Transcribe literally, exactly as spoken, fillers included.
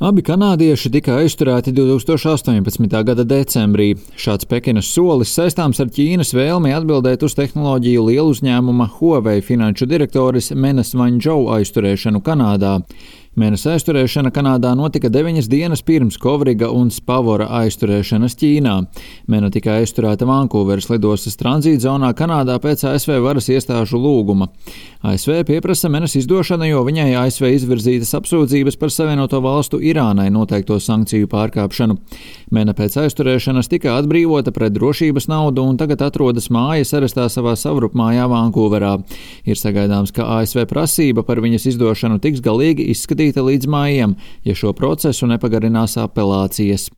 Abi kanādieši tika aizturēti divtūkstoš astoņpadsmitā gada decembrī. Šāds Pekinas solis saistāms ar Ķīnas vēlmi atbildēt uz tehnoloģiju lieluzņēmuma Huawei finanšu direktoris Menas Vanžou aizturēšanu Kanādā. Menas aizturēšana Kanādā notika deviņas dienas pirms Kovriga un Spavora aizturēšanas Ķīnā. Mena tika aizturēta Vankūveras lidostas tranzītzonā Kanādā pēc A S V varas iestāžu lūguma. A S V pieprasa Menas izdošanu, jo viņai A S V izvirzītas apsūdzības par Savienoto valstu Irānai noteikto sankciju pārkāpšanu. Mena pēc aizturēšanas tika atbrīvota pret drošības naudu un tagad atrodas mājas arestā savā savrupmājā Vankūverā. Ir sagaidāms, ka A S V prasība par viņas izdošanu tiks galīgi izskatīta līdz maijam, ja šo procesu nepagarinās apelācijas.